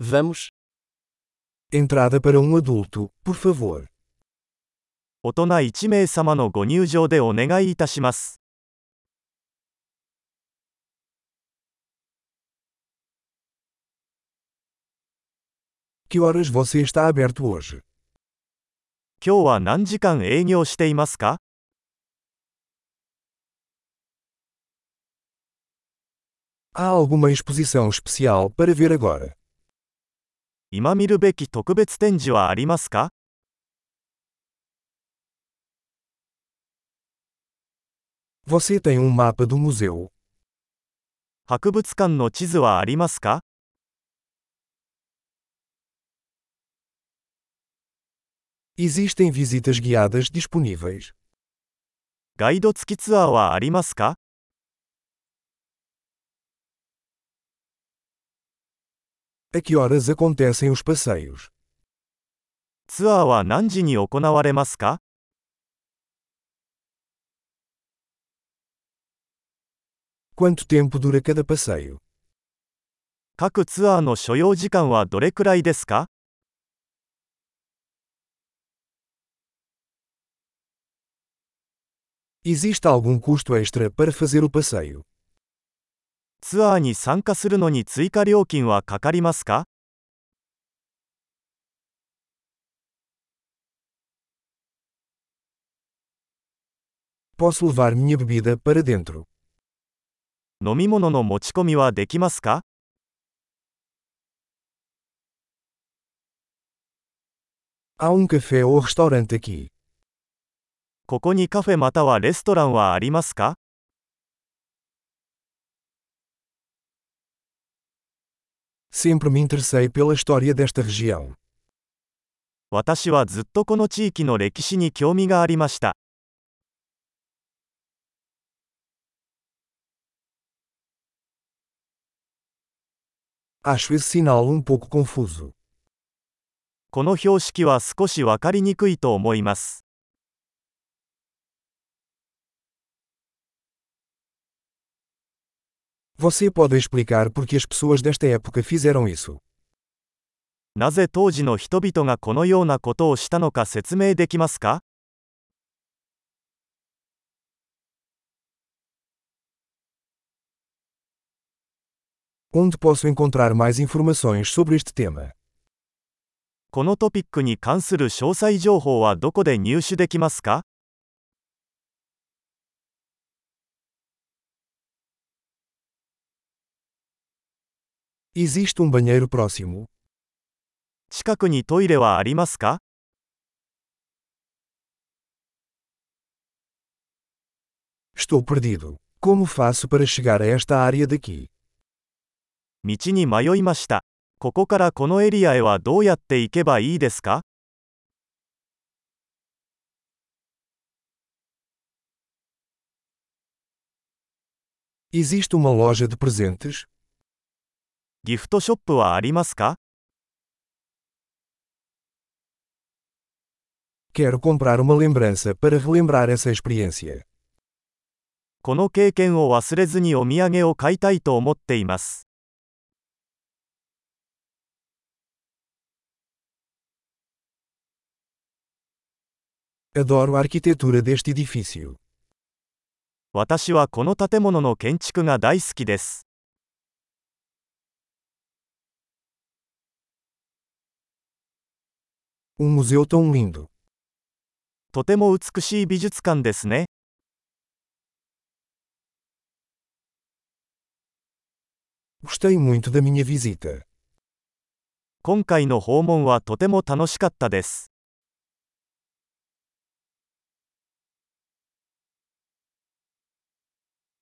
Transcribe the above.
Vamos. Entrada para um adulto, por favor. 大人1名様のご入場でお願いいたします。Que horas você está aberto hoje? 今日は何時間営業していますか？ Há alguma exposição especial para ver agora? 今見るべき特別展示はありますか？ Você tem um mapa do museu? 博物館の地図はありますか？ Existem visitas guiadas disponíveis. ガイド付きツアーはありますか？ A que horas acontecem os passeios? ツアーは何時に行われますか？ Quanto tempo dura cada passeio? 各ツアーの所要時間はどれくらいですか？ Existe algum custo extra para fazer o passeio? ツアーに参加するのに追加料金はかかりますか？ Posso levar minha bebida para dentro? 飲み物の持ち込みはできますか？ Há um café ou restaurante aqui. ここにカフェまたはレストランはありますか？ Sempre me interessei pela história desta região. 私はずっとこの地域の歴史に興味がありました。Acho esse sinal um pouco confuso. この標識は少しわかりにくいと思います。Você pode explicar por que as pessoas desta época fizeram isso? なぜ当時の人々がこのようなことをしたのか説明できますか？ Onde posso encontrar mais informações sobre este tema? このトピックに関する詳細情報はどこで入手できますか？ Existe banheiro próximo? 近くにトイレはありますか？ Estou perdido. Como faço para chegar a esta área daqui? 道に迷いました。ここからこのエリアへはどうやって行けばいいですか？ Existe uma loja de presentes? ギフトショップはありますか？ Quero comprar uma lembrança para relembrar essa experiência. この経験を忘れずにお土産を買いたいと思っています。Adoro a arquitetura deste edifício. 私はこの建物の建築が大好きです。Museu tão lindo. とても美しい美術館ですね。Gostei muito da minha visita. 今回の訪問はとても楽しかったです。